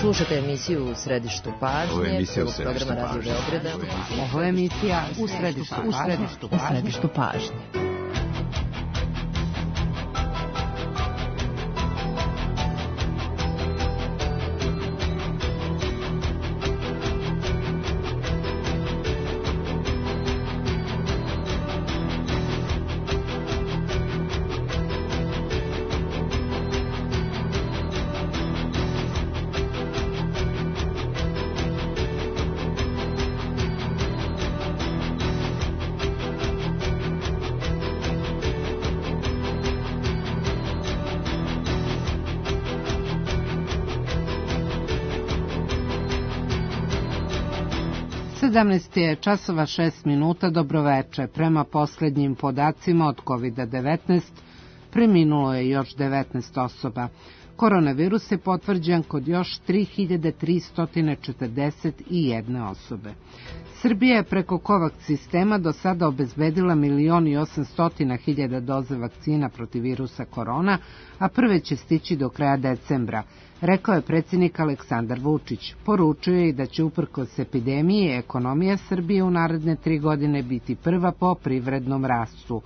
Slušate emisiju U središtu pažnje, prvog programa Radio Beograda. Ovo je emisija U središtu pažnje. Je časova 6 minuta, dobroveče. Prema posljednjim podacima od COVID-19 preminulo je još 19 osoba. Koronavirus je potvrđen kod još 3341 osobe. Srbija je preko COVAX sistema do sada obezbedila 1.800.000 doze vakcina protiv virusa korona, a prve će stići do kraja decembra, rekao je predsjednik Aleksandar Vučić. Poručio je i da će uprkos epidemiji ekonomija Srbije u naredne 3 godine biti prva po privrednom rastu.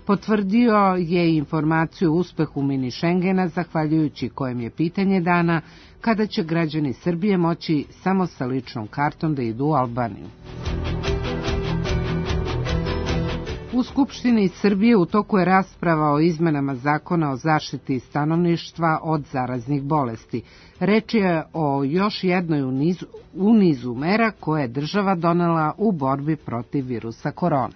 Potvrdio je informaciju o uspehu mini Šengena, zahvaljujući kojem je pitanje dana kada će građani Srbije moći samo sa ličnom kartom da idu u Albaniju. U Skupštini Srbije u toku je rasprava o izmenama zakona o zaštiti stanovništva od zaraznih bolesti. Reč je o još jednoj u nizu mera koje je država donela u borbi protiv virusa korona.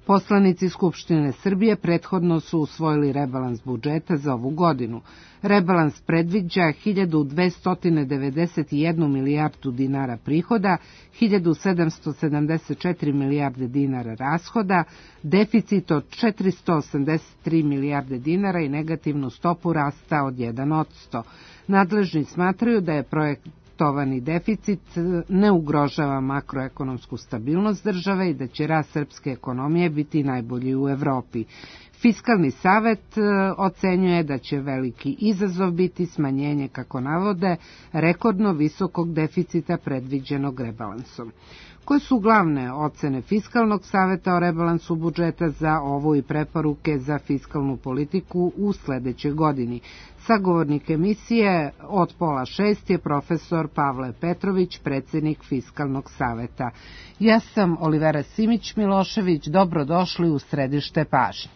Poslanici Skupštine Srbije prethodno su usvojili rebalans budžeta za ovu godinu. Rebalans predviđa 1.291 milijardu dinara prihoda, 1.774 milijarde dinara rashoda, deficit od 483 milijarde dinara i negativnu stopu rasta od 1%. Nadležni smatraju da je projektovani deficit ne ugrožava makroekonomsku stabilnost države i da će rast srpske ekonomije biti najbolji u Evropi. Fiskalni savet ocenjuje da će veliki izazov biti smanjenje, kako navode, rekordno visokog deficita predviđenog rebalansom. Koje su glavne ocene Fiskalnog saveta o rebalansu budžeta za ovu i preporuke za fiskalnu politiku u sledećoj godini? Sagovornik emisije od 5:30 je profesor Pavle Petrović, predsjednik Fiskalnog saveta. Ja sam Olivera Simić-Milošević, dobrodošli u središte pažnje.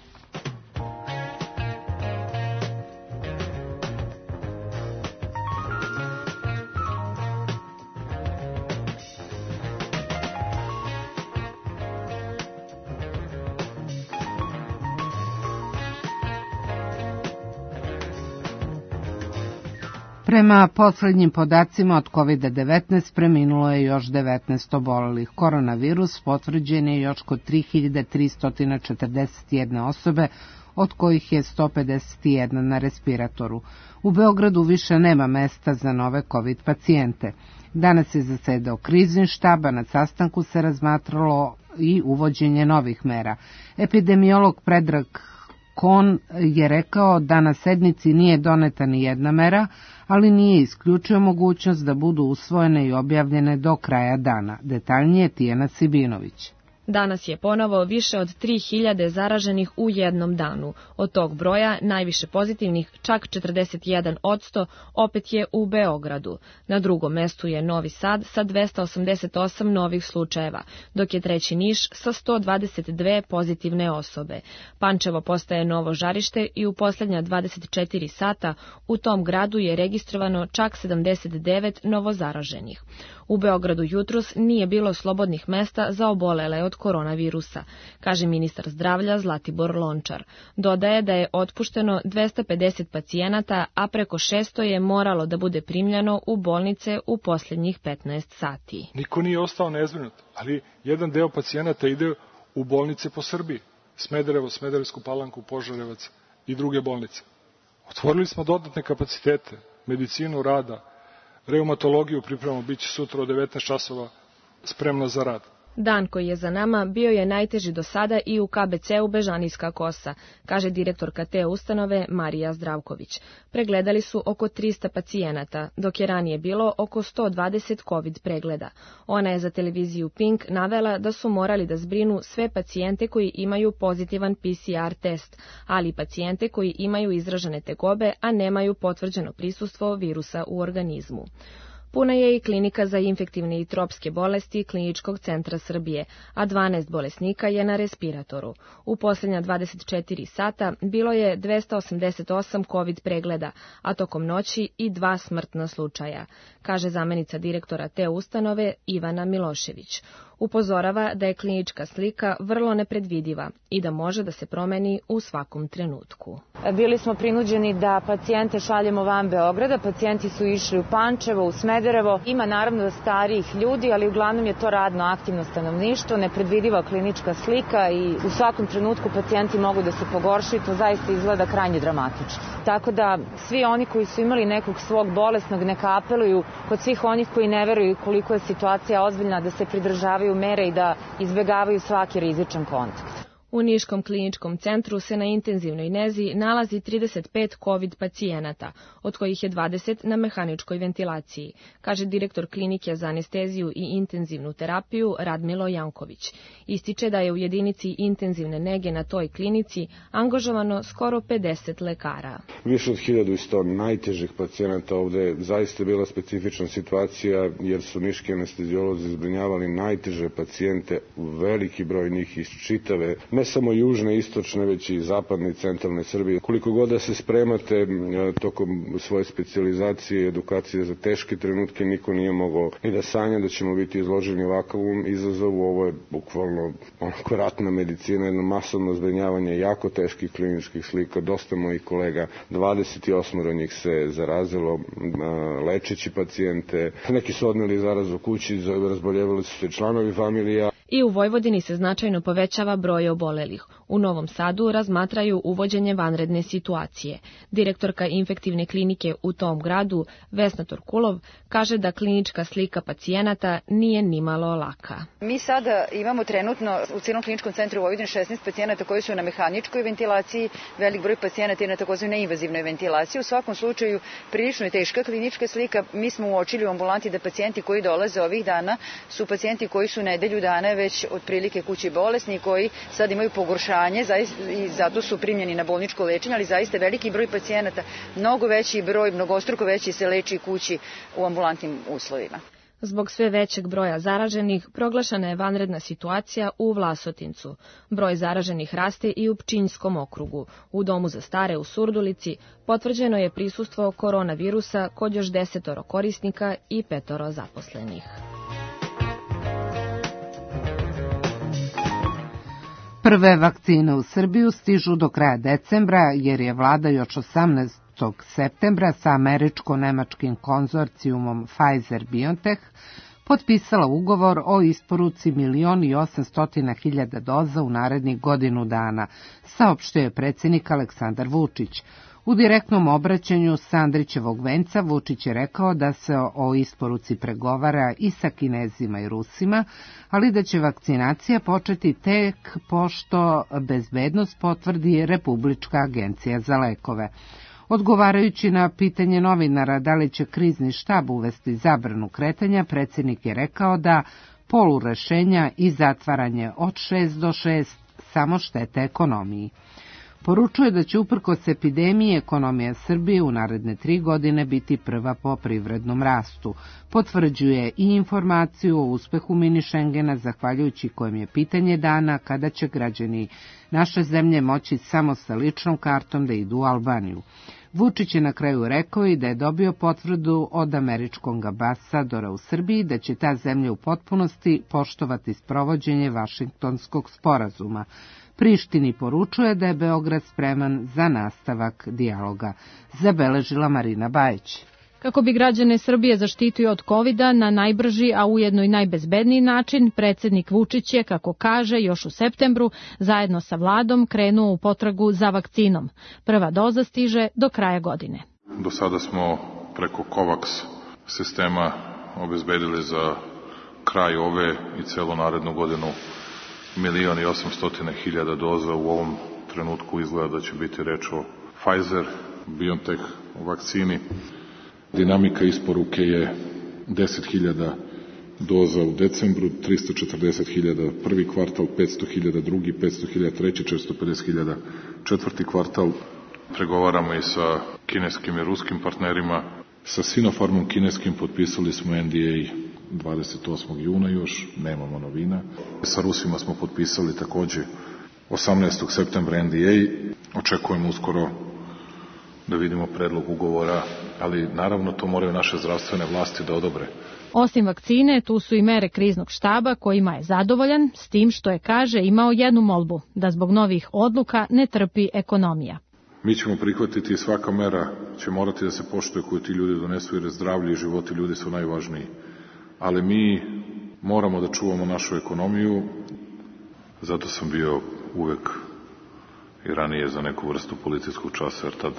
Prema poslednjim podacima od COVID-19 preminulo je još 19 obolelih. Koronavirus potvrđen je još kod 3.341 osobe, od kojih je 151 na respiratoru. U Beogradu više nema mesta za nove COVID pacijente. Danas je zasedao krizni štab, a na sastanku se razmatralo i uvođenje novih mera. Epidemiolog Predrag Kon je rekao da na sednici nije doneta ni jedna mera, ali nije isključio mogućnost da budu usvojene i objavljene do kraja dana. Detaljnije Tijana Sibinović. Danas je ponovo više od 3000 zaraženih u jednom danu. Od tog broja najviše pozitivnih, čak 41%, opet je u Beogradu. Na drugom mestu je Novi Sad sa 288 novih slučajeva, dok je treći Niš sa 122 pozitivne osobe. Pančevo postaje novo žarište i u posljednja 24 sata u tom gradu je registrovano čak 79 novozaraženih. U Beogradu jutros nije bilo slobodnih mesta za obolele od koronavirusa, kaže ministar zdravlja Zlatibor Lončar. Dodaje da je otpušteno 250 pacijenata, a preko 600 je moralo da bude primljeno u bolnice u posljednjih 15 sati. Niko nije ostao nezbrinut, ali jedan deo pacijenata ide u bolnice po Srbiji. Smederevo, Smederevsku Palanku, Požarevac i druge bolnice. Otvorili smo dodatne kapacitete, medicinu rada, reumatologiju pripremamo, bit će sutra od 19 časova spremna za rad. Dan koji je za nama bio je najteži do sada i u KBC-u Bežanijska Kosa, kaže direktorka te ustanove Marija Zdravković. Pregledali su oko 300 pacijenata, dok je ranije bilo oko 120 COVID pregleda. Ona je za televiziju Pink navela da su morali da zbrinu sve pacijente koji imaju pozitivan PCR test, ali i pacijente koji imaju izražene tegobe, a nemaju potvrđeno prisustvo virusa u organizmu. Puna je i klinika za infektivne i tropske bolesti Kliničkog centra Srbije, a 12 bolesnika je na respiratoru. U posljednja 24 sata bilo je 288 COVID pregleda, a tokom noći i 2 smrtna slučaja, kaže zamenica direktora te ustanove Ivana Milošević. Upozorava da je klinička slika vrlo nepredvidiva i da može da se promeni u svakom trenutku. Bili smo prinuđeni da pacijente šaljemo van Beograda, pacijenti su išli u Pančevo, u Smederevo. Ima naravno starijih ljudi, ali uglavnom je to radno aktivno stanovništvo, nepredvidiva klinička slika i u svakom trenutku pacijenti mogu da se pogoršaju, to zaista izgleda krajnje dramatično. Tako da svi oni koji su imali nekog svog bolesnog neka apeluju kod svih onih koji ne veruju koliko je situacija ozbiljna da se pridržavaju mere i da izbegavaju svaki rizičan kontakt. U Niškom kliničkom centru se na intenzivnoj nezi nalazi 35 COVID pacijenata, od kojih je 20 na mehaničkoj ventilaciji, kaže direktor klinike za anesteziju i intenzivnu terapiju Radmilo Janković. Ističe da je u jedinici intenzivne nege na toj klinici angažovano skoro 50 lekara. Više od 1100 najtežih pacijenata ovde je zaista bila specifična situacija jer su niški anestezijolozi zbrinjavali najteže pacijente, veliki broj njih iz čitave ne samo južne, istočne, već i zapadne i centralne Srbije. Koliko god da se spremate tokom svoje specijalizacije i edukacije za teške trenutke, niko nije mogao ni da sanja da ćemo biti izloženi ovakvom izazovu. Ovo je bukvalno onako ratna medicina, jedno masovno zbrinjavanje jako teških kliničkih slika. Dosta mojih kolega, 28 njih se zarazilo lečeći pacijente. Neki su odneli zarazu kući, razboljevali su se članovi familija. I u Vojvodini se značajno povećava broj obolelih. U Novom Sadu razmatraju uvođenje vanredne situacije. Direktorka infektivne klinike u tom gradu, Vesna Torkulov, kaže da klinička slika pacijenata nije nimalo laka. Mi sada imamo trenutno u cijelom kliničkom centru u Vojvodini 16 pacijenata koji su na mehaničkoj ventilaciji, velik broj pacijenata je na takozvanoj invazivnoj ventilaciji. U svakom slučaju prilično je teška klinička slika. Mi smo uočili u ambulanti da pacijenti koji dolaze ovih dana su pacijenti koji su nedelju dana već otprilike kući bolesni, koji sad imaju pogoršanje i zato su primljeni na bolničko lečenje, ali zaista veliki broj pacijenata, mnogo veći broj, mnogostruko veći se leči kući u ambulantnim uslovima. Zbog sve većeg broja zaraženih, proglašena je vanredna situacija u Vlasotincu. Broj zaraženih raste i u Pčinjskom okrugu. U domu za stare u Surdulici potvrđeno je prisustvo koronavirusa kod još 10 korisnika i 5 zaposlenih. Prve vakcine u Srbiju stižu do kraja decembra, jer je vlada još 18. septembra sa američko-nemačkim konzorcijumom Pfizer-BioNTech potpisala ugovor o isporuci 1.800.000 doza u narednih godinu dana, saopštio je predsjednik Aleksandar Vučić. U direktnom obraćanju s Andrićevog venca Vučić je rekao da se o isporuci pregovara i sa Kinezima i Rusima, ali da će vakcinacija početi tek pošto bezbednost potvrdi Republička agencija za lekove. Odgovarajući na pitanje novinara da li će krizni štab uvesti zabranu kretanja, predsjednik je rekao da polurešenja i zatvaranje od 6 do 6 samo štete ekonomiji. Poručuje da će uprkos epidemiji ekonomija Srbije u naredne 3 godine biti prva po privrednom rastu. Potvrđuje i informaciju o uspehu mini Šengena, zahvaljujući kojem je pitanje dana kada će građani naše zemlje moći samo sa ličnom kartom da idu u Albaniju. Vučić je na kraju rekao i da je dobio potvrdu od američkog ambasadora u Srbiji da će ta zemlja u potpunosti poštovati sprovođenje Vašingtonskog sporazuma. Prištini poručuje da je Beograd spreman za nastavak dijaloga, zabeležila Marina Bajić. Kako bi građane Srbije zaštitio od covida na najbrži, a ujedno i najbezbedniji način, predsjednik Vučić je, kako kaže, još u septembru zajedno sa vladom krenuo u potragu za vakcinom. Prva doza stiže do kraja godine. Do sada smo preko COVAX sistema obezbedili za kraj ove i celu narednu godinu 1.800.000 doza. U ovom trenutku izgleda da će biti reč o Pfizer-BioNTech vakcini. Dinamika isporuke je 10.000 doza u decembru, 340.000 prvi kvartal, 500.000 drugi, 500.000 treći, 450.000 četvrti kvartal. Pregovaramo i sa kineskim i ruskim partnerima. Sa Sinopharmom kineskim potpisali smo NDA 28. juna još, nemamo novina. Sa Rusima smo potpisali takođe 18. septembra NDA. Očekujemo uskoro da vidimo predlog ugovora, ali naravno to moraju naše zdravstvene vlasti da odobre. Osim vakcine, tu su i mere kriznog štaba kojima je zadovoljan, s tim što je, kaže, imao jednu molbu, da zbog novih odluka ne trpi ekonomija. Mi ćemo prihvatiti i svaka mera će morati da se poštuje koju ti ljudi donesu, jer zdravlje i životi ljudi su najvažniji. Ali mi moramo da čuvamo našu ekonomiju, zato sam bio uvek i ranije za neku vrstu policijskog časa, jer tad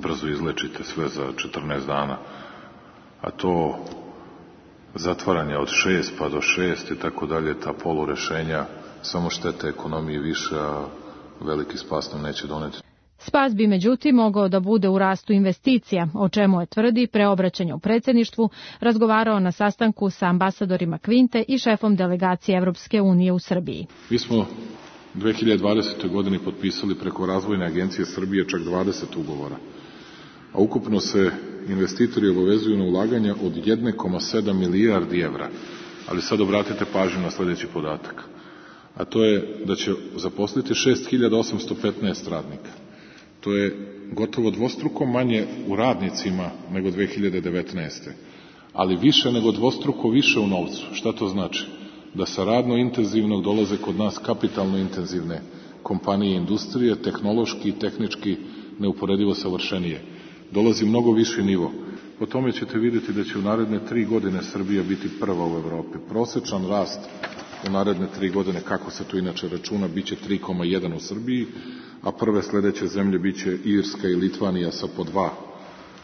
brzo izlečite sve za 14 dana. A to zatvaranje od 6 pa do 6 i tako dalje, ta polurešenja, samo štete ekonomiji više, a veliki spas nam neće doneti. Spas bi međutim mogao da bude u rastu investicija, o čemu je, tvrdi, pre obraćanja u predsjedništvu razgovarao na sastanku sa ambasadorima Kvinte i šefom delegacije Evropske unije u Srbiji. Mi smo 2020. godini potpisali preko Razvojne agencije Srbije čak 20 ugovora, a ukupno se investitori obavezuju na ulaganja od 1,7 milijardi evra. Ali sad obratite pažnju na sljedeći podatak, a to je da će zaposliti 6.815 radnika. To je gotovo dvostruko manje u radnicima nego 2019. Ali više nego dvostruko više u novcu. Šta to znači? Da sa radno intenzivnog dolaze kod nas kapitalno intenzivne kompanije i industrije, tehnološki i tehnički neuporedivo savršenije. Dolazi mnogo viši nivo. Po tome ćete vidjeti da će u naredne 3 godine Srbija biti prva u Evropi. Prosečan rast u naredne 3 godine, kako se to inače računa, biće 3,1 u Srbiji, a prve sledeće zemlje biće Irska i Litvanija sa po 2.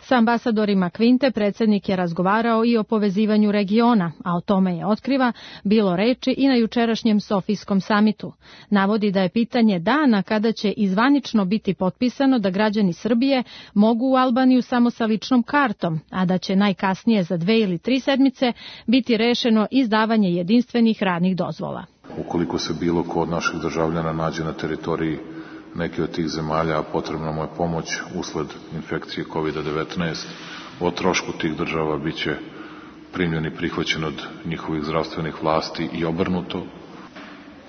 Sa ambasadorima Kvinte predsjednik je razgovarao i o povezivanju regiona, a o tome je, otkriva, bilo reči i na jučerašnjem Sofijskom samitu. Navodi da je pitanje dana kada će izvanično biti potpisano da građani Srbije mogu u Albaniju samo sa ličnom kartom, a da će najkasnije za 2 ili 3 sedmice biti rešeno izdavanje jedinstvenih radnih dozvola. Ukoliko se bilo ko od naših državljana nađe na teritoriji neke od tih zemalja, a potrebna mu je pomoć usled infekcije COVID-19, o trošku tih država biće primljen i prihvaćen od njihovih zdravstvenih vlasti i obrnuto.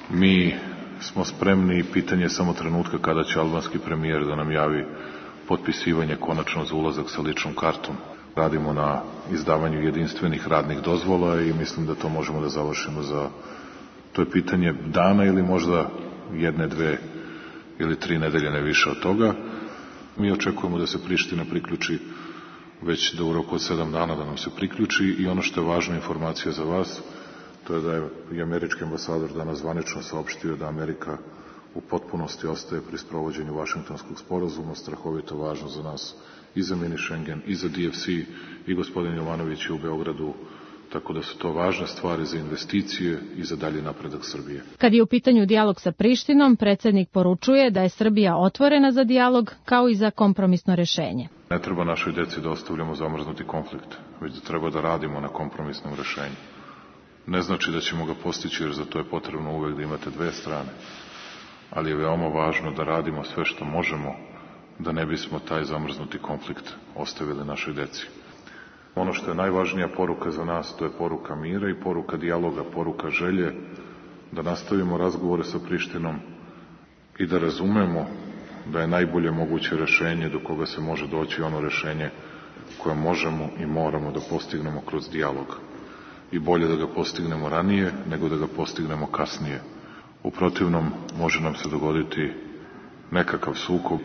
Mi smo spremni i pitanje je samo trenutka kada će albanski premijer da nam javi potpisivanje konačno za ulazak sa ličnom kartom. Radimo na izdavanju jedinstvenih radnih dozvola i mislim da to možemo da završimo za, to je pitanje dana ili možda 1, 2 ili 3 nedelje, ne više od toga. Mi očekujemo da se Priština priključi već da u roku od 7 dana da nam se priključi i ono što je važna informacija za vas, to je da je i američki ambasador danas zvanično saopštio da Amerika u potpunosti ostaje pri sprovođenju Vašingtonskog sporazuma, strahovito važno za nas i za mini Schengen i za DFC, i gospodin Jovanović je u Beogradu, tako da su to važne stvari za investicije i za dalji napredak Srbije. Kad je u pitanju dijalog sa Prištinom, predsjednik poručuje da je Srbija otvorena za dijalog kao i za kompromisno rešenje. Ne treba našoj deci da ostavljamo zamrznuti konflikt, već da treba da radimo na kompromisnom rešenju. Ne znači da ćemo ga postići, jer za to je potrebno uvek da imate 2 strane, ali je veoma važno da radimo sve što možemo da ne bismo taj zamrznuti konflikt ostavili našoj deci. Ono što je najvažnija poruka za nas, to je poruka mira i poruka dijaloga, poruka želje da nastavimo razgovore sa Prištinom i da razumemo da je najbolje moguće rešenje do koga se može doći ono rešenje koje možemo i moramo da postignemo kroz dijalog. I bolje da ga postignemo ranije nego da ga postignemo kasnije. U protivnom može nam se dogoditi nekakav sukob.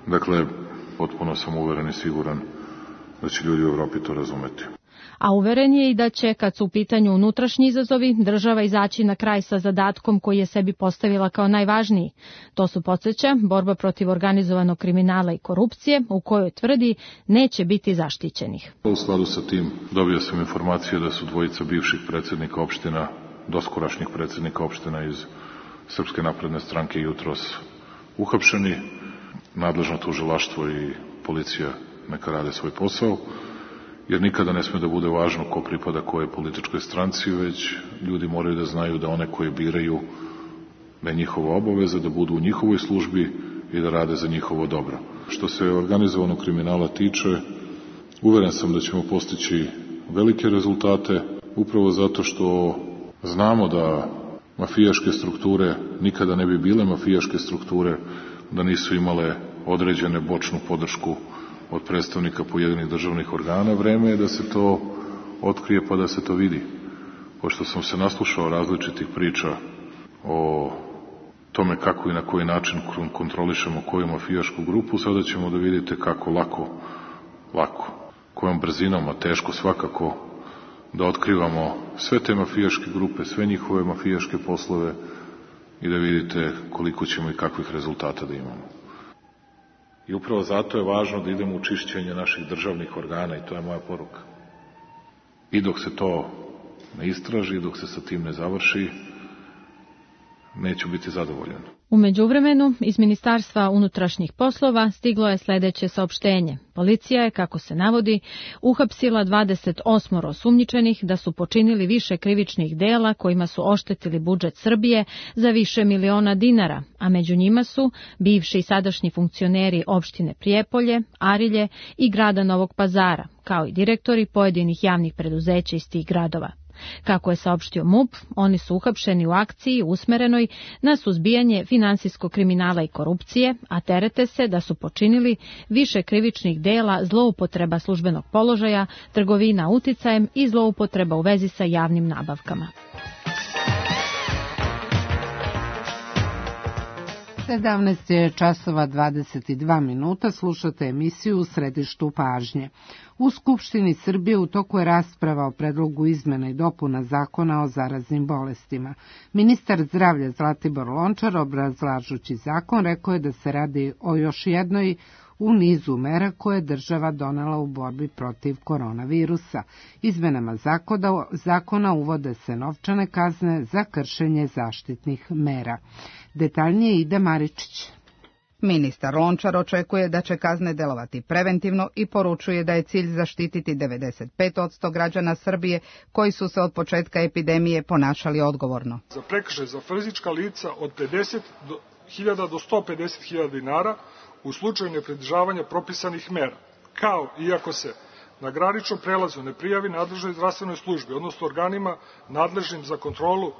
Dakle, potpuno sam uveren i siguran da će ljudi u Evropi to razumeti. A uveren je i da će, kad su u pitanju unutrašnji izazovi, država izaći na kraj sa zadatkom koji je sebi postavila kao najvažniji. To su, podsjeća, borba protiv organizovanog kriminala i korupcije, u kojoj tvrdi neće biti zaštićenih. U skladu sa tim dobio sam informacije da su dvojica bivših predsjednika opština, doskorašnjih predsjednika opština iz Srpske napredne stranke jutros uhapšeni. Nadležno tužilaštvo i policija neka rade svoj posao, jer nikada ne sme da bude važno ko pripada kojoj političkoj stranci, već ljudi moraju da znaju da one koje biraju, da je njihova obaveza da budu u njihovoj službi i da rade za njihovo dobro. Što se organizovanog kriminala tiče, uveren sam da ćemo postići velike rezultate, upravo zato što znamo da mafijaške strukture nikada ne bi bile mafijaške strukture da nisu imale određene bočnu podršku od predstavnika pojedinih državnih organa. Vreme je da se to otkrije pa da se to vidi. Pošto sam se naslušao različitih priča o tome kako i na koji način kontrolišemo koju mafijašku grupu, sada ćemo da vidite kako lako, kojom brzinom, a teško svakako, da otkrivamo sve te mafijaške grupe, sve njihove mafijaške poslove i da vidite koliko ćemo i kakvih rezultata da imamo. I upravo zato je važno da idemo u čišćenje naših državnih organa i to je moja poruka. I dok se to ne istraži, dok se sa tim ne završi, neću biti zadovoljan. U međuvremenu, iz Ministarstva unutrašnjih poslova stiglo je sledeće saopštenje. Policija je, kako se navodi, uhapsila 28 osumnjičenih da su počinili više krivičnih dela kojima su oštetili budžet Srbije za više miliona dinara, a među njima su bivši i sadašnji funkcioneri opštine Prijepolje, Arilje i grada Novog Pazara, kao i direktori pojedinih javnih preduzeća iz tih gradova. Kako je saopštio MUP, oni su uhapšeni u akciji usmerenoj na suzbijanje finansijskog kriminala i korupcije, a terete se da su počinili više krivičnih dela zloupotreba službenog položaja, trgovina uticajem i zloupotreba u vezi sa javnim nabavkama. 17 je časova 22 minuta, slušate emisiju U središtu pažnje. U Skupštini Srbije u toku je rasprava o predlogu izmena i dopuna zakona o zaraznim bolestima. Ministar zdravlja Zlatibor Lončar, obrazlažući zakon, rekao je da se radi o još jednoj u nizu mera koje je država donela u borbi protiv koronavirusa. Izmenama zakona uvode se novčane kazne za kršenje zaštitnih mera. Detaljnije Ida Maričić. Ministar Lončar očekuje da će kazne delovati preventivno i poručuje da je cilj zaštititi 95% građana Srbije koji su se od početka epidemije ponašali odgovorno. Za prekršaj za fizička lica od 50.000 do 150.000 dinara u slučaju nepridržavanja propisanih mera, kao i ako se na graničnom prelazu ne prijavi nadležnoj zdravstvenoj službi, odnosno organima nadležnim za kontrolu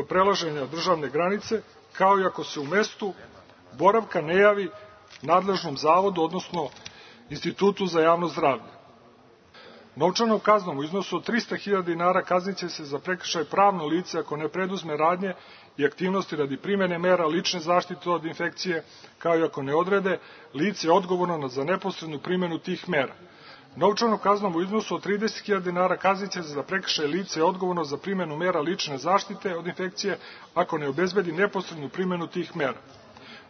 prelaženja državne granice, kao i ako se u mestu boravka ne javi nadležnom zavodu, odnosno Institutu za javno zdravlje. Novčanom kaznom u iznosu od 300.000 dinara kazniće se za prekršaj pravno lice ako ne preduzme radnje i aktivnosti radi primene mera lične zaštite od infekcije, kao i ako ne odrede lice odgovorno za neposrednu primenu tih mera. Novčanom kaznom u iznosu od 30.000 dinara kazniće se za prekršaj lice odgovorno za primenu mera lične zaštite od infekcije ako ne obezbedi neposrednu primenu tih mera.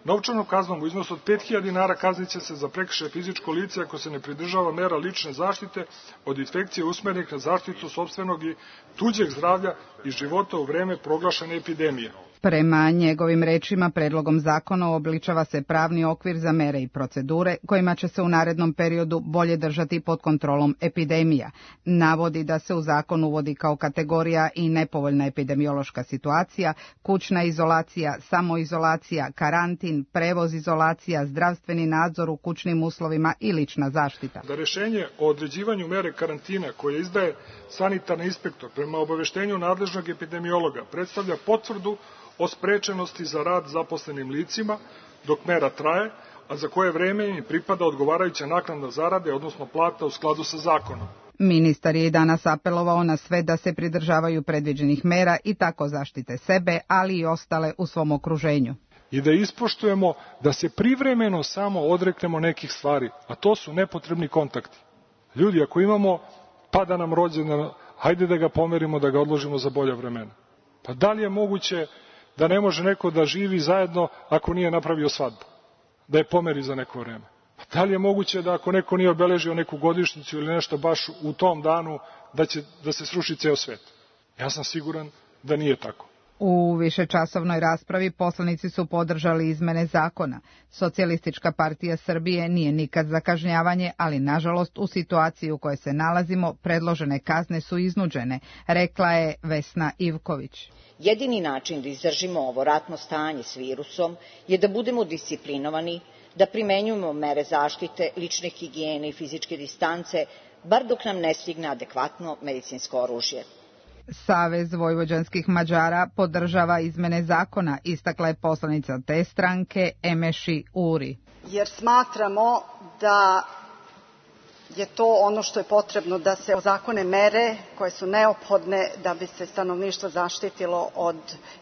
Novčanom kaznom u iznosu od 5.000 dinara kazniće se za prekršaj fizičko lice ako se ne pridržava mera lične zaštite od infekcije usmerenih na zaštitu sopstvenog i tuđeg zdravlja i života u vreme proglašene epidemije. Prema njegovim rečima, predlogom zakona uobličava se pravni okvir za mere i procedure kojima će se u narednom periodu bolje držati pod kontrolom epidemija. Navodi da se u zakon uvodi kao kategorija i nepovoljna epidemiološka situacija, kućna izolacija, samoizolacija, karantin, prevoz izolacija, zdravstveni nadzor u kućnim uslovima i lična zaštita. Da rešenje o određivanju mere karantina koje izdaje sanitarni inspektor prema obaveštenju nadležnog epidemiologa predstavlja potvrdu o sprečenosti za rad zaposlenim licima dok mera traje, a za koje vreme im pripada odgovarajuća naknada zarade, odnosno plata u skladu sa zakonom. Ministar je i danas apelovao na sve da se pridržavaju predviđenih mera i tako zaštite sebe, ali i ostale u svom okruženju. I da ispoštujemo da se privremeno samo odreknemo nekih stvari, a to su nepotrebni kontakti. Ljudi, ako imamo pada nam rođendan, hajde da ga pomerimo, da ga odložimo za bolja vremena. Pa da li je moguće da ne može neko da živi zajedno ako nije napravio svadbu, da je pomeri za neko vreme? Pa da li je moguće da ako neko nije obeležio neku godišnjicu ili nešto baš u tom danu da se sruši ceo svet? Ja sam siguran da nije tako. U višečasovnoj raspravi poslanici su podržali izmene zakona. Socijalistička partija Srbije nije nikad za kažnjavanje, ali nažalost u situaciji u kojoj se nalazimo predložene kazne su iznuđene, rekla je Vesna Ivković. Jedini način da izdržimo ovo ratno stanje s virusom je da budemo disciplinovani, da primenjujemo mere zaštite, lične higijene i fizičke distance, bar dok nam ne stigne adekvatno medicinsko oružje. Savez vojvođanskih Mađara podržava izmene zakona, istakla je poslanica te stranke Emeši Uri. Jer smatramo da je to ono što je potrebno, da se ozakone mere koje su neophodne da bi se stanovništvo zaštitilo od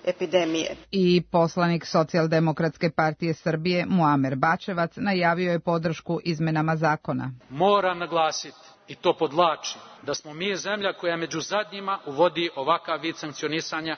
epidemije. I poslanik Socijaldemokratske partije Srbije Muamer Bačevac najavio je podršku izmenama zakona. Moram naglasiti, i to podvlačim, da smo mi zemlja koja među zadnjima uvodi ovakav vid sankcionisanja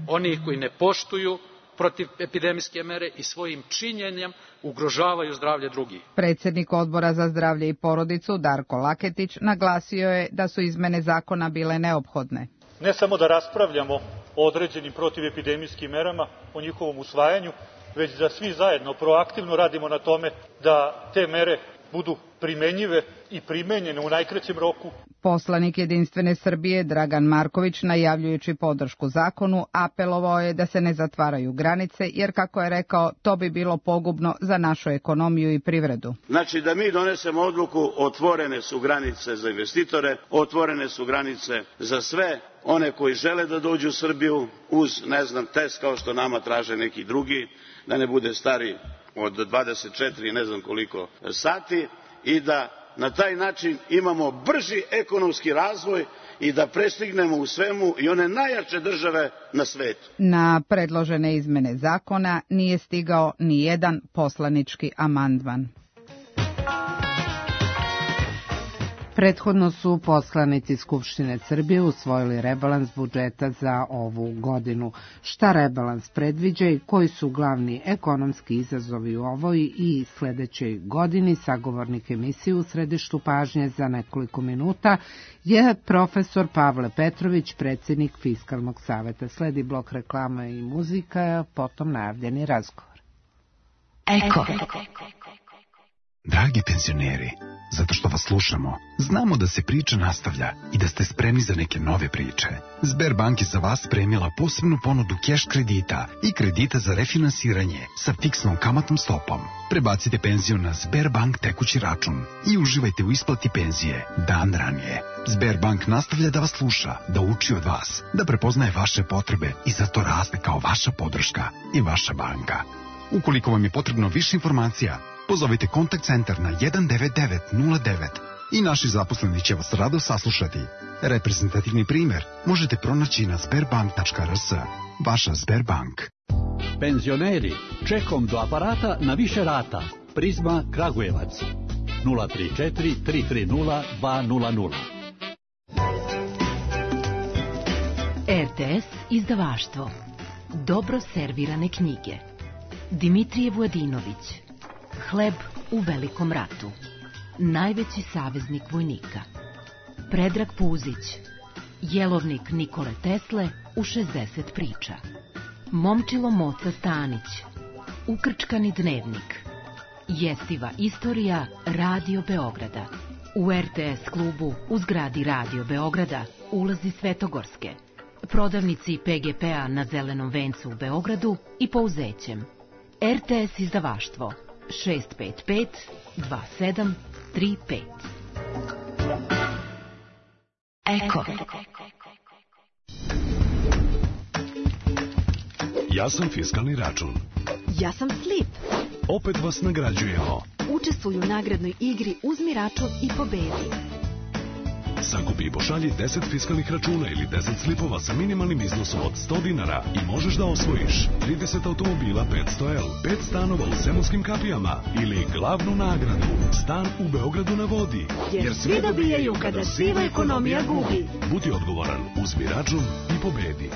oni koji ne poštuju protivepidemijske mere i svojim činjenjem ugrožavaju zdravlje drugih. Predsjednik Odbora za zdravlje i porodicu Darko Laketić naglasio je da su izmene zakona bile neophodne. Ne samo da raspravljamo o određenim protivepidemijskim merama, o njihovom usvajanju, već da svi zajedno proaktivno radimo na tome da te mere budu primenjive i primenjene u najkraćem roku. Poslanik Jedinstvene Srbije Dragan Marković, najavljujući podršku zakonu, apelovao je da se ne zatvaraju granice, jer, kako je rekao, to bi bilo pogubno za našu ekonomiju i privredu. Znači da mi donesemo odluku, otvorene su granice za investitore, otvorene su granice za sve one koji žele da dođu u Srbiju uz, test kao što nama traže neki drugi, da ne bude stari od 24 ne znam koliko sati, i da na taj način imamo brži ekonomski razvoj i da prestignemo u svemu i one najjače države na svetu. Na predložene izmene zakona nije stigao ni jedan poslanički amandman. Prethodno su poslanici Skupštine Srbije usvojili rebalans budžeta za ovu godinu. Šta rebalans predviđa i koji su glavni ekonomski izazovi u ovoj i sledećoj godini, sagovornik emisije u središtu pažnje za nekoliko minuta je profesor Pavle Petrović, predsjednik Fiskalnog saveta. Sledi blok reklama i muzika, potom najavljeni razgovor. Eko. Dragi penzioneri, zato što vas slušamo, znamo da se priča nastavlja i da ste spremni za neke nove priče. Sberbank je za vas spremila posebnu ponudu keš kredita i kredita za refinansiranje sa fiksnom kamatnom stopom. Prebacite penziju na Sberbank tekući račun i uživajte u isplati penzije dan ranije. Sberbank nastavlja da vas sluša, da uči od vas, da prepoznaje vaše potrebe i zato raste kao vaša podrška i vaša banka. Ukoliko vam je potrebno više informacija, pozovite kontakt centar na 19909 i naši zaposleni će vas rado saslušati. Reprezentativni primjer možete pronaći na sberbank.rs. Vaša Sberbank. Penzioneri, čekom do aparata na više rata. Prizma Kragujevac 034 330 200. RTS izdavaštvo. Dobro servirane knjige. Dimitrije Vujadinović. Hleb u velikom ratu. Najveći saveznik vojnika. Predrag Puzić. Jelovnik Nikole Tesle u 60 priča. Momčilo Moca Stanić. Ukrčkani dnevnik. Jestiva istorija Radio Beograda. U RTS klubu u zgradi Radio Beograda, ulazi Svetogorske. Prodavnici PGP-a na Zelenom vencu u Beogradu i Pouzećem. RTS izdavaštvo 655 2735. Eko. Ja sam Fiskalni račun. Ja sam Slip. Opet vas nagrađujemo. Učestvuju u nagradnoj igri Uzmi račun i pobedi. Sakupi i pošalji 10 fiskalnih računa ili 10 slipova sa minimalnim iznosom od 100 dinara i možeš da osvojiš 30 automobila 500L, 5 stanova u Zemunskim kapijama ili glavnu nagradu, stan u Beogradu na vodi. Jer svi dobijaju kada siva ekonomija gubi. Budi odgovoran, uzmi račun i pobedi.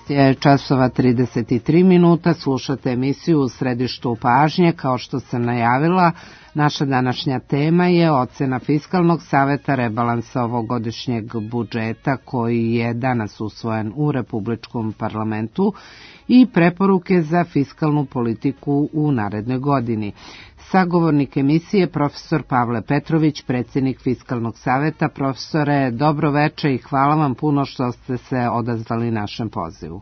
Je časova 33 minuta, slušate emisiju U središtu pažnje. Kao što sam najavila, naša današnja tema je ocena Fiskalnog saveta rebalansa ovogodišnjeg budžeta koji je danas usvojen u Republičkom parlamentu i preporuke za fiskalnu politiku u narednoj godini. Sagovornik emisije profesor Pavle Petrović, predsjednik Fiskalnog saveta. Profesore, dobro veče i hvala vam puno što ste se odazvali našem pozivu.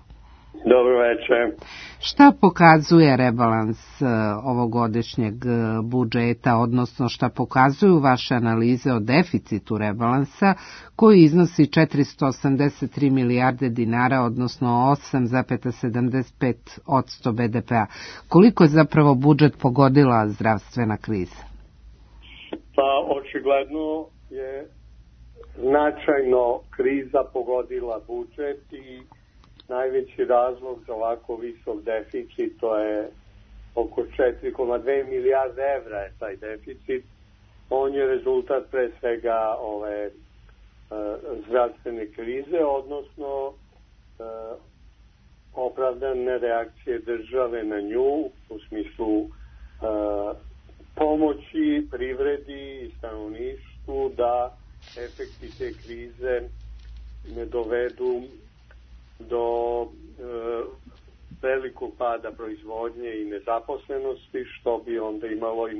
Dobro veče. Šta pokazuje rebalans ovogodišnjeg budžeta, odnosno šta pokazuju vaše analize o deficitu rebalansa koji iznosi 483 milijarde dinara, odnosno 8,75% BDP-a? Koliko je zapravo budžet pogodila zdravstvena kriza? Pa očigledno je značajno kriza pogodila budžet i najveći razlog za ovako visok deficit, to je oko 4,2 milijarde evra je taj deficit. On je rezultat pre svega ove zdravstvene krize, odnosno opravdane reakcije države na nju u smislu pomoći privredi i stanovništvu da efekti te krize ne dovedu do velikog pada proizvodnje i nezaposlenosti, što bi onda imalo i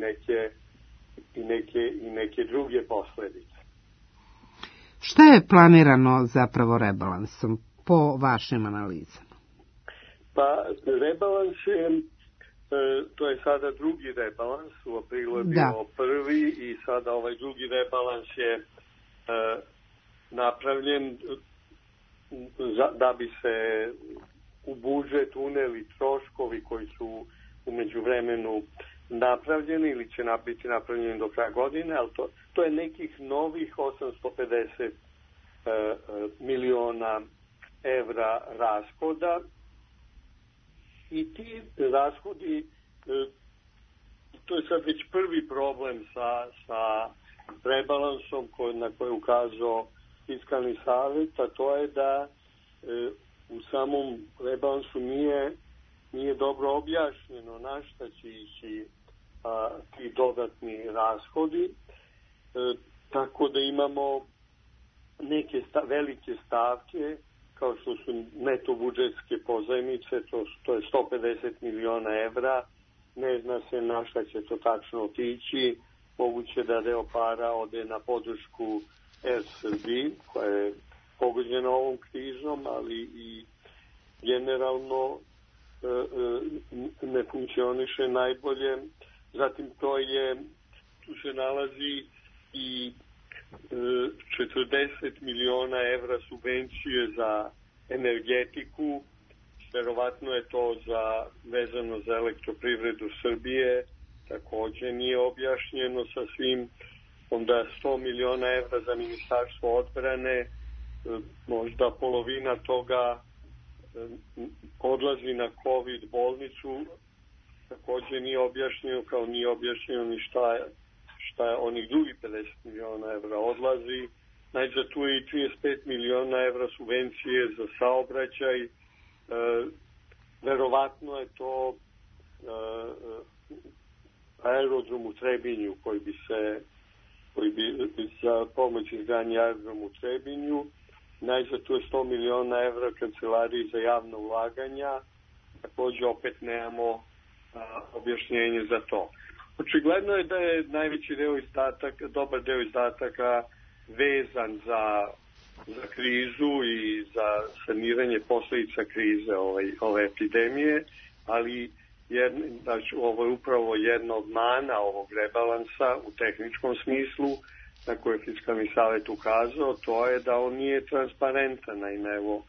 neke druge posledice. Šta je planirano zapravo rebalansom po vašim analizama? Pa rebalans je, to je sada drugi rebalans, u aprilu je bio prvi i sada ovaj drugi rebalans je napravljen da bi se u budžet uneli troškovi koji su u međuvremenu napravljeni ili će biti napravljeni do kraja godine, ali to je nekih novih 850 miliona evra rashoda i ti rashodi, to je sad već prvi problem sa rebalansom na koje je ukazao Fiskalni savet, a to je da u samom rebalansu nije dobro objašnjeno na šta će ići ti dodatni rashodi, tako da imamo neke velike stavke kao što su neto budžetske pozajmice, to je 150 miliona evra, ne zna se na šta će to tačno otići, moguće da deo para ode na podršku Air Srbiji koja je pogođena ovom krizom, ali i generalno ne funkcioniše najbolje. Zatim tu se nalazi i 40 miliona evra subvencije za energetiku, verovatno je to vezano za Elektroprivredu Srbije, takođe nije objašnjeno sa svim. Onda 100 miliona evra za Ministarstvo odbrane, možda polovina toga odlazi na COVID bolnicu, takođe nije objašnjeno, kao nije objašnjeno ni šta onih drugih 50 miliona evra odlazi. Najzad tu je i 35 miliona evra subvencije za saobraćaj, verovatno je to aerodrom u Trebinju koji bi za pomoć izgradnje aerodrom u Trebinju. Najzad tu je 100 miliona evra kancelariji za javno ulaganja, takođe opet nemamo objašnjenje za to. Očigledno je da je najveći deo izdataka, dobar deo izdataka vezan za krizu i za saniranje posledica krize ove epidemije, ali ovo je upravo jedna od mana ovog rebalansa u tehničkom smislu na koje je Fiskalni savet ukazao, to je da on nije transparentan. Naime, evo,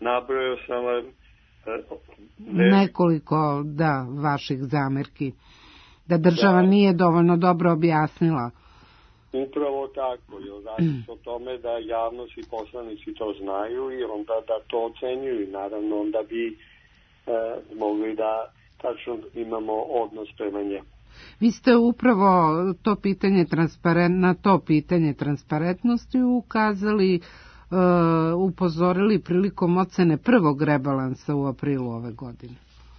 nabrojao sam vam nekoliko vaših zamerki da država nije dovoljno dobro objasnila. Upravo tako, radi se o tome da javnost i poslanici to znaju i onda da to ocenjuju i naravno onda bi mogli da tačno imamo odnos prema njemu. Vi ste upravo na to pitanje transparentnosti ukazali, upozorili prilikom ocene prvog rebalansa u aprilu ove godine.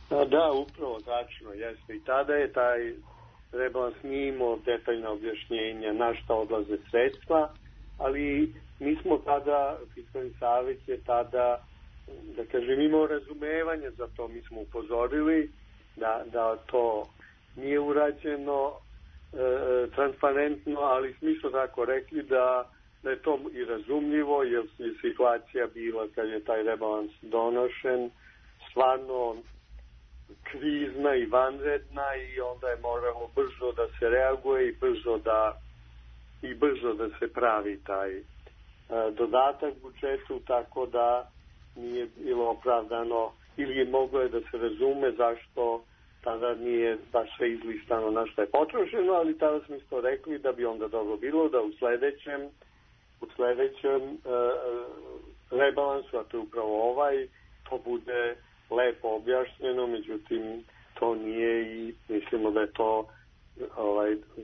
Da, upravo, tačno, jeste. I tada je taj rebalans nije imao detaljna objašnjenja na šta odlaze sredstva, ali mi smo tada, Fiskalni savet je tada, da kažem, imao razumevanje za to. Mi smo upozorili da to nije urađeno transparentno, ali smo isto tako rekli da je to i razumljivo, jer je situacija bila kad je taj rebalans donošen stvarno krizna i vanredna i onda je moralo brzo da se reaguje i brzo da se pravi taj dodatak budžetu, tako da nije bilo opravdano ili je moglo da se razume zašto tada nije baš sve izlistano na što je potrošeno, ali tada smo isto rekli da bi onda dobro bilo da u sledećem rebalansu, a to je upravo ovaj, to bude lepo objašnjeno, međutim to nije i mislimo da je to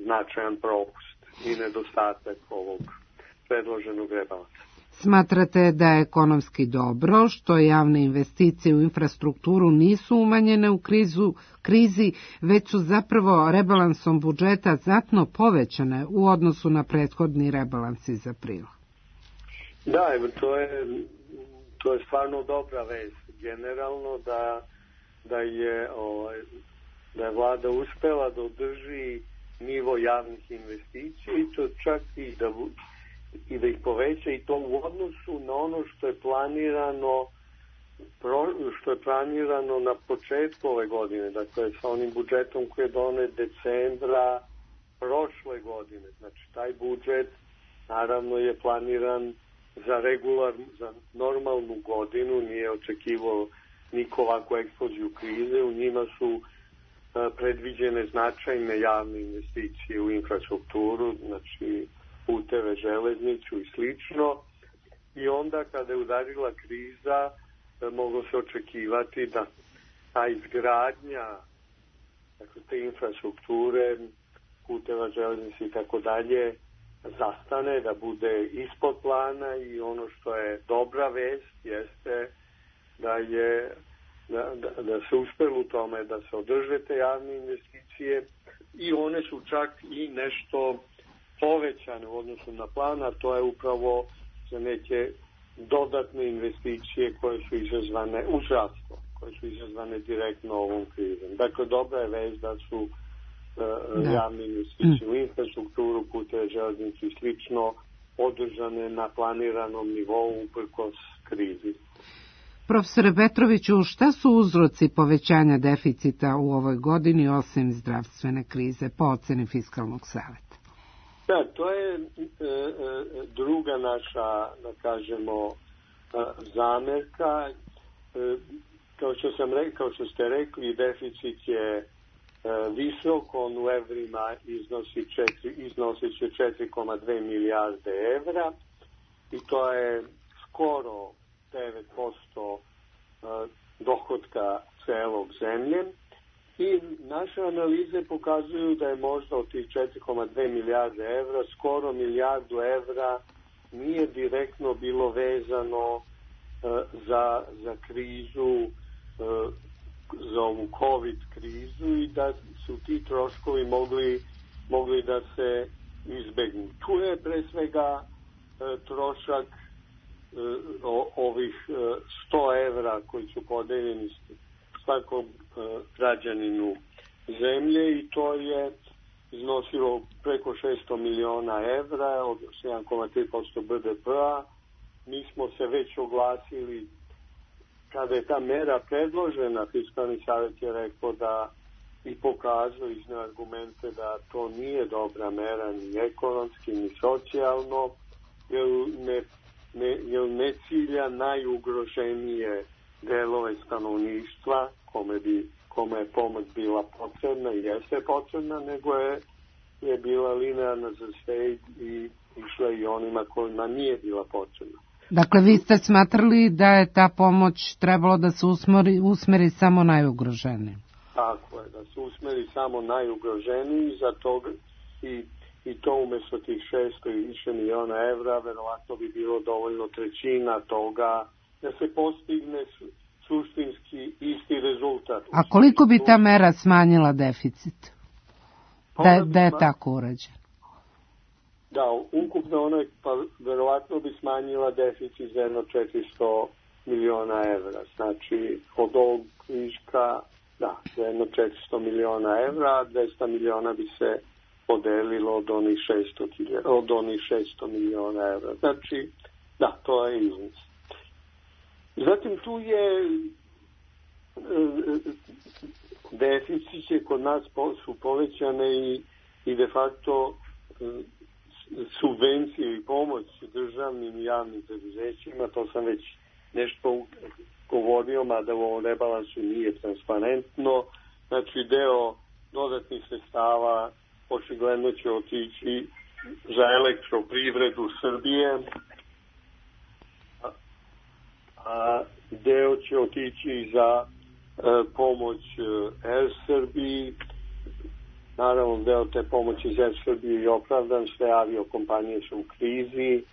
značajan propust i nedostatak ovog predloženog rebalansa. Smatrate da je ekonomski dobro što javne investicije u infrastrukturu nisu umanjene u krizi, već su zapravo rebalansom budžeta znatno povećane u odnosu na prethodni rebalans iz aprila? Da, to je stvarno dobra vest. Generalno da je vlada uspela da održi nivo javnih investicija i to čak i da ih poveća, i to u odnosu na ono što je planirano na početku ove godine, dakle sa onim budžetom koji je donet decembra prošle godine. Znači taj budžet naravno je planiran za normalnu godinu, nije očekivao niko ovakvu eksploziju krize, u njima su predviđene značajne javne investicije u infrastrukturu, znači puteve, železnicu i slično. I onda kada je udarila kriza, moglo se očekivati da ta izgradnja, dakle, te infrastrukture, puteva, železnice i tako dalje, zastane, da bude ispod plana, i ono što je dobra vest jeste da se uspelo u tome da se održe te javne investicije, i one su čak i nešto povećane u odnosu na plan, a to je upravo za neke dodatne investicije koje su izazvane u zdravstvo, koje su izazvane direktno ovom krizom. Dakle, dobra je vest da su javne investicije u infrastrukturu, puteve, železnicu i slično održane na planiranom nivou uprkos krizi. Profesore Petroviću, šta su uzroci povećanja deficita u ovoj godini osim zdravstvene krize po oceni Fiskalnog saveta? Da, to je druga naša, da kažemo, zamerka. Kao što ste rekli, deficit je visok, on u evrima iznosi će 4,2 milijarde evra, i to je skoro 9% dohotka celog zemlje. I naše analize pokazuju da je možda od tih 4,2 milijarde evra, skoro milijardu evra nije direktno bilo vezano za krizu, za ovu COVID krizu, i da su ti troškovi mogli da se izbegnu. Tu je pre svega trošak ovih 100 evra koji su podeljeni svakom građaninu zemlje, i to je iznosilo preko 600 miliona evra, od 7,3% BDP-a. Mi smo se već oglasili kada je ta mera predložena. Fiskalni savjet je rekao da i pokazao izne argumente da to nije dobra mera ni ekonomski ni socijalno, jer ne cilja najugroženije delove stanovništva kome je pomoć bila potrebna i jeste potrebna, nego je bila linearna za sve i išla i onima kojima nije bila potrebna. Dakle, vi ste smatrali da je ta pomoć trebalo da se usmeri samo najugroženiji? Tako je, da se usmeri samo najugroženiji, za toga i to umjesto tih 600 i više miliona evra, verovatno bi bilo dovoljno trećina toga da se postigne suštinski isti rezultat. A koliko bi ta mera smanjila deficit? Da je tako urađeno? Da, ukupno ono, pa verovatno bi smanjila deficit za jedno 400 miliona evra. Znači, od ovog viška, da, za jedno 400 miliona evra, a 200 miliona bi se podelilo od onih 600 miliona evra. Znači, da, to je iznos. Zatim tu je deficit kod nas su povećane i de facto subvencije i pomoć državnim i javnim preduzećima. To sam već nešto govorio, mada u ovom rebalansu nije transparentno. Znači, deo dodatnih sredstava očigledno će otići za elektroprivredu Srbije, a deo će otići za pomoć Air Srbiji. Naravno, deo te pomoći za Air Srbiju je opravdan, sve aviokompanije su u krizi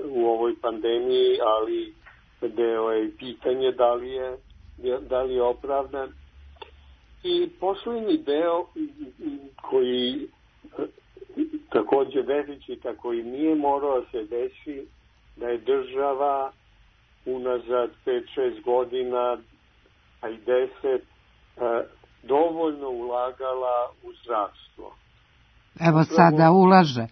u ovoj pandemiji, ali deo je i pitanje da li je opravdan. I poslednji deo koji takođe deficita koji nije morao se desi, da je država unazad 5-6 godina, a i 10, dovoljno ulagala u zdravstvo. Evo sada ulaže.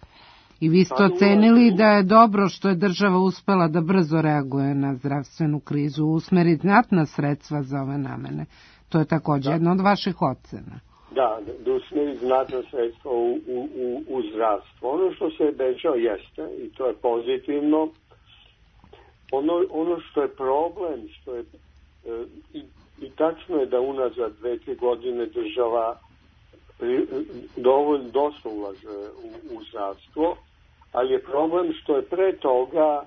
I vi ste ocenili da je dobro što je država uspela da brzo reaguje na zdravstvenu krizu, usmeri znatna sredstva za ove namene. To je također jedna od vaših ocena. Da usmeri znatna sredstva u zdravstvo. Ono što se obećao jeste, i to je pozitivno, ono što je problem, što je, i tačno je da unazad 2-3 godine država dosta ulaže u zdravstvo, ali je problem što je pre toga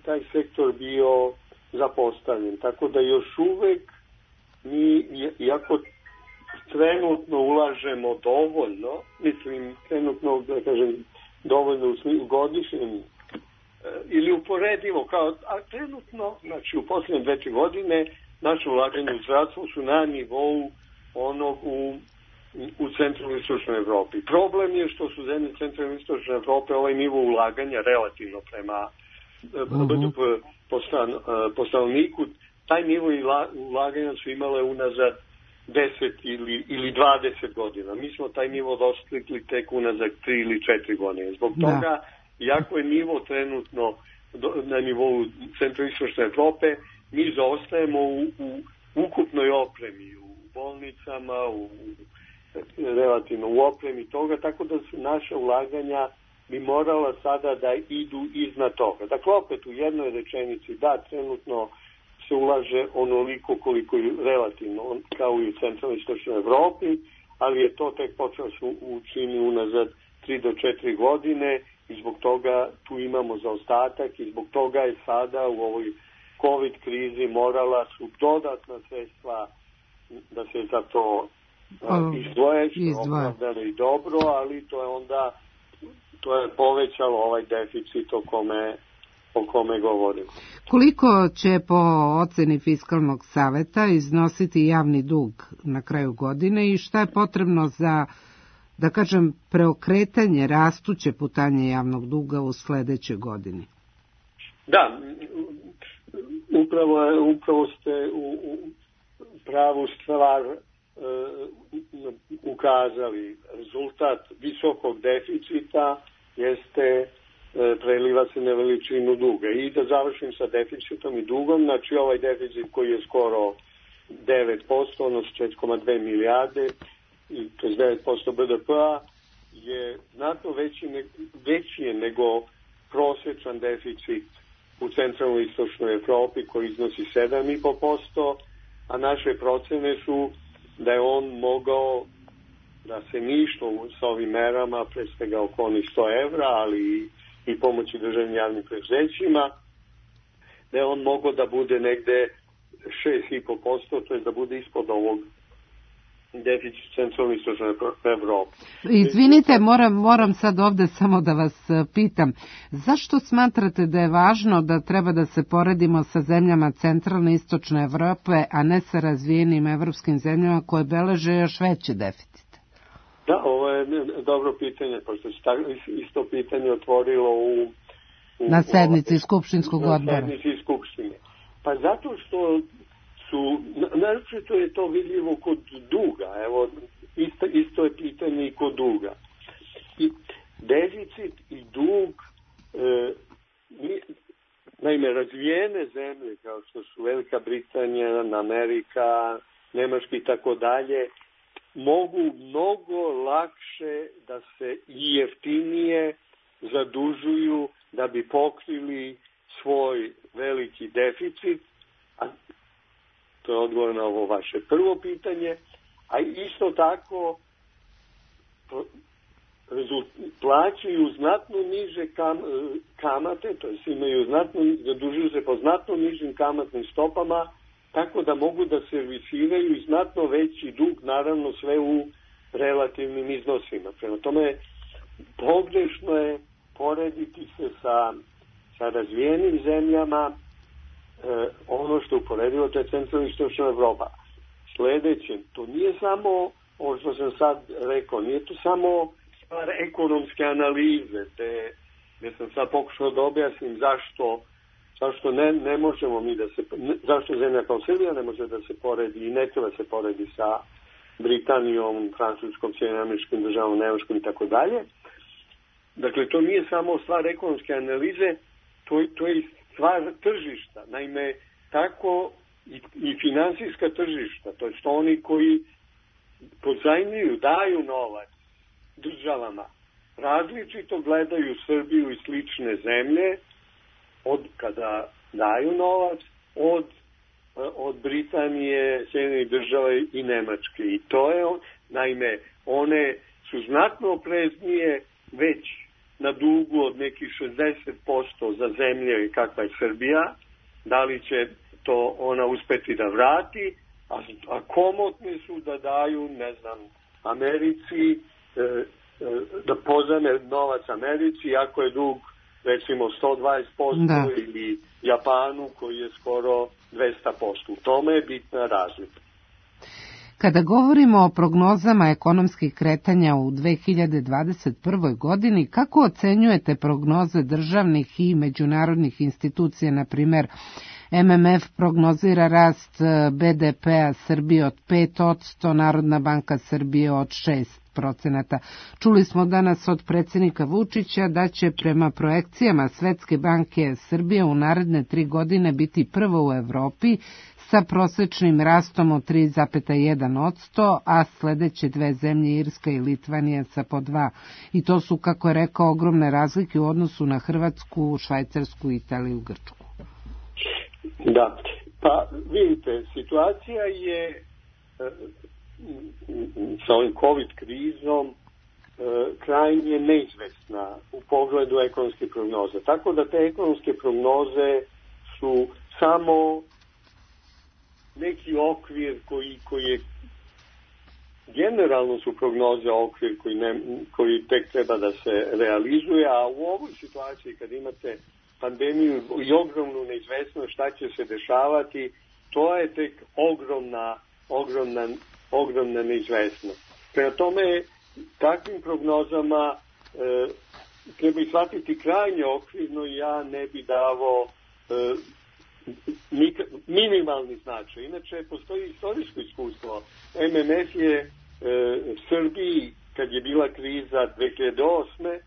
taj sektor bio zapostavljen. Tako da još uvek mi, iako trenutno ulažemo dovoljno, mislim trenutno, da kažem, dovoljno u godišnjem ili uporedivo, a trenutno, znači u posljednje 2-3 godine, naše ulaganje u zdravstvo su na nivou onog u centralnoj i istočnoj Evropi. Problem je što su zemlje centralne i istočne Evrope ovaj nivo ulaganja relativno prema BDP po stanovniku, taj nivo ulaganja su imale unazad 10 ili 20 godina. Mi smo taj nivo dostigli tek unazad 3 ili 4 godine. Zbog toga, iako je nivo trenutno na nivou centro-istočne Evrope, mi zaostajemo u ukupnoj opremi, u bolnicama, relativno u opremi toga, tako da su naše ulaganja bi morala sada da idu iznad toga. Dakle, opet u jednoj rečenici, da, trenutno se ulaže onoliko koliko je relativno, kao i u centralnoj istočnoj Evropi, ali je to tek počelo se učini unazad 3 do 4 godine i zbog toga tu imamo zaostatak i zbog toga je sada u ovoj COVID krizi morala su dodatna sredstva da se za to izdvoje, što je opravdano i dobro, ali to je povećalo ovaj deficit o kome govorim. Koliko će po oceni Fiskalnog saveta iznositi javni dug na kraju godine i šta je potrebno za, da kažem, preokretanje rastuće putanje javnog duga u sledećoj godini? Da, upravo ste u pravu stvar ukazali. Rezultat visokog deficita jeste preliva se na veličinu duga. I da završim sa deficitom i dugom, znači ovaj deficit koji je skoro 9%, odnosno 4,2 milijarde, to je 9% BDP-a, je znatno veći je nego prosječan deficit u centralnoj istočnoj Evropi koji iznosi 7,5%, a naše procene su da je on mogao da se ništa sa ovim merama, pre svega oko onih 100 evra, ali i pomoći državnim javnim preduzećima, da je on mogao da bude negde 6,5%, to je da bude ispod ovog deficit centralne istočne Evrope. Izvinite, moram sad ovde samo da vas pitam, zašto smatrate da je važno da treba da se poredimo sa zemljama centralne istočne Evrope, a ne sa razvijenim evropskim zemljama koje beleže još veći deficit? Da, ovo je dobro pitanje, pošto se isto pitanje otvorilo na sednici Skupštinskog odbora. Na sednici Skupštine. Pa zato što naročito je to vidljivo kod duga. Evo, isto je pitanje i kod duga. I deficit i dug, naime, razvijene zemlje kao što su Velika Britanija, Amerika, Nemačka i tako dalje, mogu mnogo lakše da se i jeftinije zadužuju da bi pokrili svoj veliki deficit, a to je odgovor na ovo vaše prvo pitanje, a isto tako plaćaju znatno niže kamate, to jest zadužuju se po znatno nižim kamatnim stopama, tako da mogu da servisiraju i znatno veći dug, naravno sve u relativnim iznosima. Prema tome, pogrešno je porediti se sa razvijenim zemljama, ono što uporedivo, to je centralna istočna Evropa. Sledeće, to nije samo, ovo što sam sad rekao, nije to samo stvar ekonomske analize, gde sam sad pokušao da objasnim zašto ne možemo mi zašto zemlja kao Srbija ne može da se poredi i ne treba se poredi Britanijom, Francuskom, Sjedinjenim Američkim Državama, Nemačkom i tako dalje. Dakle, to nije samo stvar ekonomske analize, to je stvar tržišta. Naime, tako i finansijska tržišta, to je što oni koji pozajmljuju, daju novac državama, različito gledaju Srbiju i slične zemlje od kada daju novac, od Britanije, Sjedinjenih Država i Nemačke. I to je, naime, one su znatno opreznije već na dugu od nekih 60% za zemlje kakva je Srbija, da li će to ona uspeti da vrati, a komotni su da daju, ne znam, Americi, da pozajme novac Americi, ako je dug recimo 120% ili Japanu koji je skoro 200%. U tome je bitna razlika. Kada govorimo o prognozama ekonomskih kretanja u 2021. godini, kako ocenjujete prognoze državnih i međunarodnih institucija, na primjer MMF prognozira rast BDP-a Srbije od 5%, Narodna banka Srbije od 6%. Čuli smo danas od predsjednika Vučića da će prema projekcijama Svetske banke Srbije u naredne 3 godine biti prva u Evropi sa prosječnim rastom od 3,1%, a sljedeće dve zemlje, Irska i Litvanija, sa po 2%. I to su, kako je rekao, ogromne razlike u odnosu na Hrvatsku, Švajcarsku, Italiju, Grčku. Da, pa vidite, situacija je sa ovim COVID krizom krajnje neizvesna u pogledu ekonomske prognoze. Tako da te ekonomske prognoze su samo neki okvir koji je generalno su prognoze okvir koji tek treba da se realizuje, a u ovoj situaciji kad imate pandemiju i ogromnu neizvesnost šta će se dešavati, to je tek ogromna neizvesnost. Prema tome, takvim prognozama treba ih shvatiti krajnje okvirno i ja ne bi davao minimalni značaj. Inače, postoji istorijsko iskustvo. MMF je Srbiji, kad je bila kriza 2008.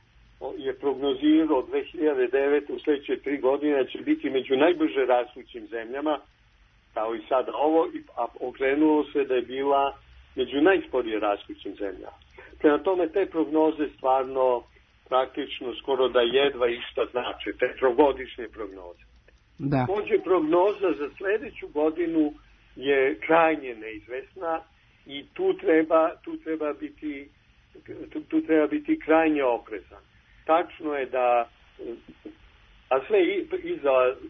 je prognozirao 2009. u sljedeće 3 godine će biti među najbrže rastućim zemljama, kao i sada ovo, a okrenulo se da je bila među najsporije rastućim zemljama. Prema tome, te prognoze stvarno praktično skoro da jedva išta znači, te trogodišnje prognoze. Također prognoza za sljedeću godinu je krajnje neizvesna i tu treba biti krajnje oprezan. Tačno je da, a sve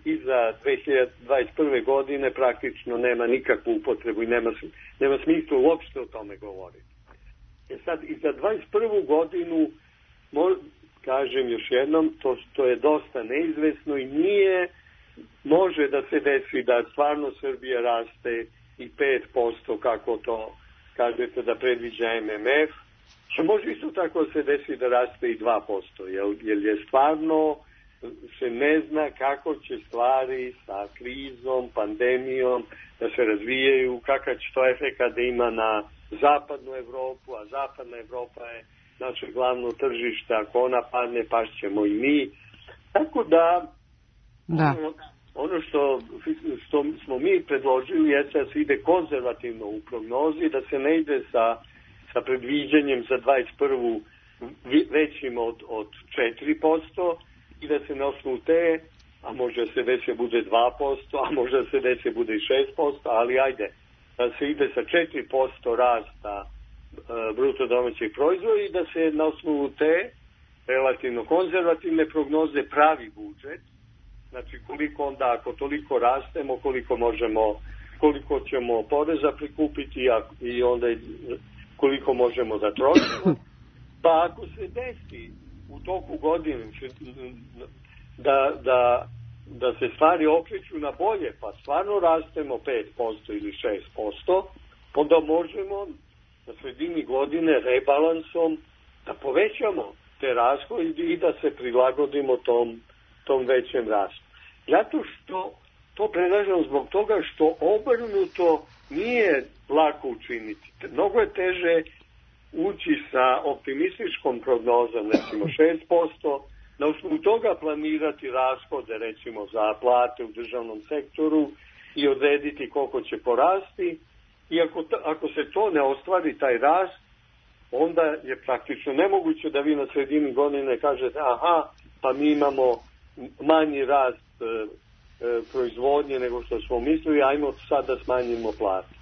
iza 2021. godine praktično nema nikakvu upotrebu i nema smisla uopšte o tome govoriti. Sad, i za 2021. godinu, kažem još jednom, to je dosta neizvesno i može da se desi da stvarno Srbija raste i 5%, kako to kažete da predviđa MMF, a može isto tako se desi da raste i 2%, jer je stvarno se ne zna kako će stvari sa krizom, pandemijom da se razvijaju, kakav će to efekat da ima na zapadnu Evropu, a zapadna Evropa je naše glavno tržište, ako ona padne, pašćemo i mi. Tako da ono što smo mi predložili je da se ide konzervativno u prognozi, da se ne ide sa predviđanjem za 21. većim od 4% i da se na osnovu te, a može se desi bude 2%, a može se desi bude i 6%, ali ajde, da se ide sa 4% rasta bruto domaćeg proizvoda i da se na osnovu te relativno konzervativne prognoze pravi budžet. Znači koliko onda, ako toliko rastemo, koliko ćemo poreza prikupiti i onda koliko možemo da trošimo. Pa ako se desi u toku godine da se stvari okreću na bolje, pa stvarno rastemo 5% ili 6%, onda možemo na sredini godine rebalansom da povećamo te rashode i da se prilagodimo tom većem rastu. Zato što to predlažem zbog toga što obrnuto nije lako učiniti. Mnogo je teže ući sa optimističkom prognozom, recimo 6%, na osnovu toga planirati rashode, recimo za plate u državnom sektoru i odrediti koliko će porasti. I ako se to ne ostvari, taj rast, onda je praktično nemoguće da vi na sredini godine kažete aha, pa mi imamo manji rast proizvodnje nego što smo mislili, ajmo sad da smanjimo plate.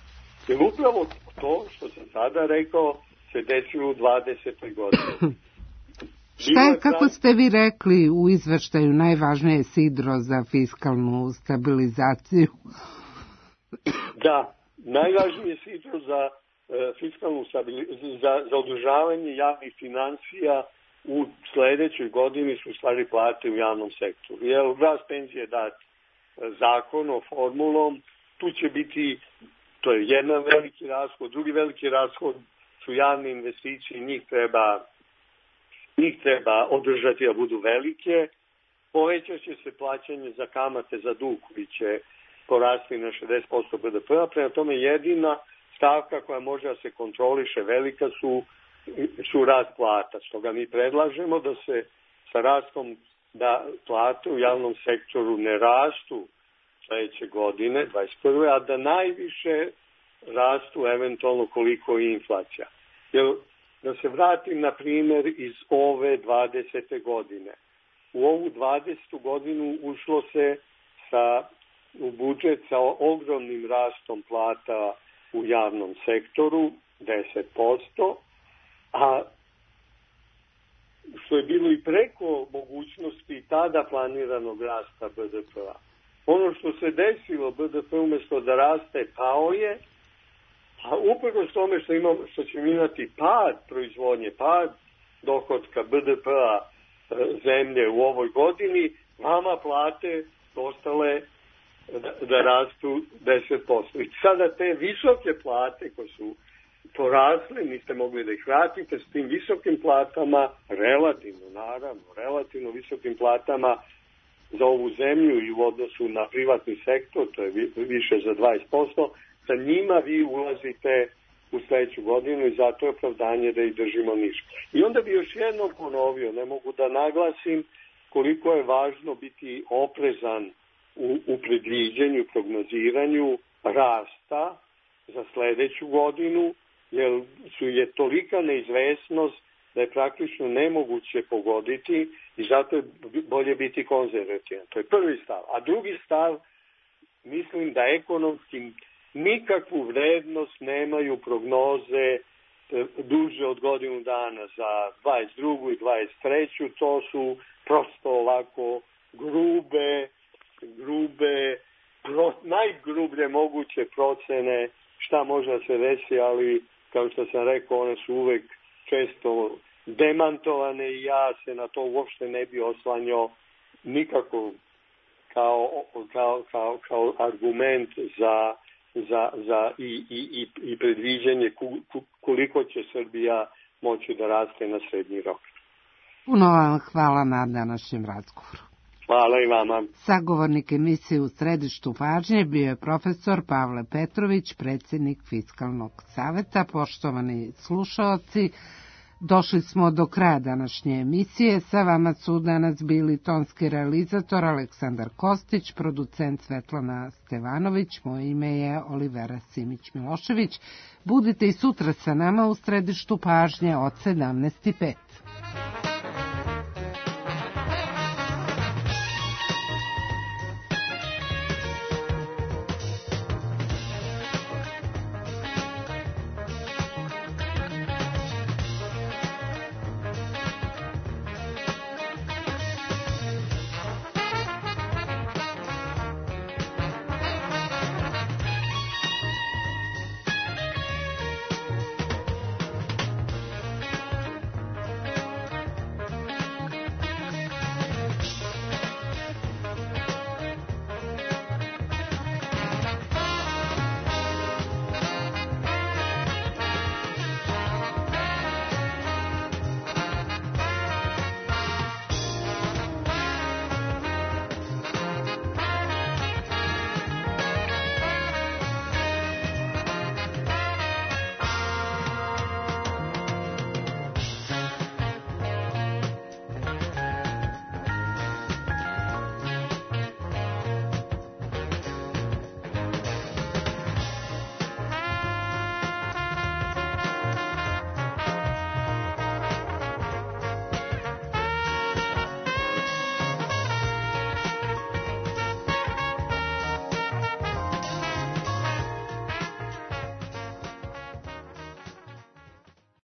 Jer upravo to što sam sada rekao se desilo u 20. godini. Šta je, kako ste vi rekli u izveštaju, najvažnije sidro za fiskalnu stabilizaciju? Da, najvažnije sidro za fiskalnu za održavanje javnih financija u sledećoj godini su stvari plate u javnom sektoru. Jer rast penzije dat zakonom, formulom, tu će biti, to je jedan veliki rashod, drugi veliki rashod su javne investicije, njih treba održati da budu velike, povećat će se plaćanje za kamate za dug koji će porasti na 60% BDP-a, prema tome jedina stavka koja može da se kontroliše velika su rast plata. Stoga mi predlažemo da se sa rastom da plate u javnom sektoru ne rastu sledeće godine, 21. a da najviše rastu eventualno koliko je inflacija. Jer da se vratim na primjer iz ove 20. godine. U ovu 20. godinu ušlo se u budžet sa ogromnim rastom plata u javnom sektoru, 10%, a što je bilo i preko mogućnosti tada planiranog rasta BDP-a. Ono što se desilo, BDP umjesto da raste, pao je, a uprkos tome što ćemo imati pad proizvodnje, pad dohotka BDP-a zemlje u ovoj godini, vama plate ostale da rastu 10%. I sada te visoke plate koje su porasle, niste mogli da ih vratite, s tim visokim platama, relativno visokim platama za ovu zemlju i u odnosu na privatni sektor, to je više za 20%, sa njima vi ulazite u sledeću godinu i zato je opravdanje da ih držimo niže. I onda bi još jednom ponovio, ne mogu da naglasim koliko je važno biti oprezan u predviđenju, prognoziranju rasta za sledeću godinu, jer je tolika neizvesnost da je praktično nemoguće pogoditi i zato je bolje biti konzervativan. To je prvi stav. A drugi stav, mislim da ekonomski nikakvu vrednost nemaju prognoze duže od godinu dana za 22. i 23. To su prosto ovako najgrublje moguće procene šta može da se desi, ali kao što sam rekao, one su uvek često demantovane i ja se na to uopšte ne bi oslanjao nikako kao argument i predviđanje koliko će Srbija moći da raste na srednji rok. Puno vam hvala na današnjem razgovoru. Hvala i vama. Sagovornik emisije U središtu pažnje bio je profesor Pavle Petrović, predsjednik Fiskalnog saveta. Poštovani slušaoci, došli smo do kraja današnje emisije. Sa vama su danas bili tonski realizator Aleksandar Kostić, producent Svetlana Stevanović, moje ime je Olivera Simić-Milošević. Budite i sutra sa nama u središtu pažnje od 17:05.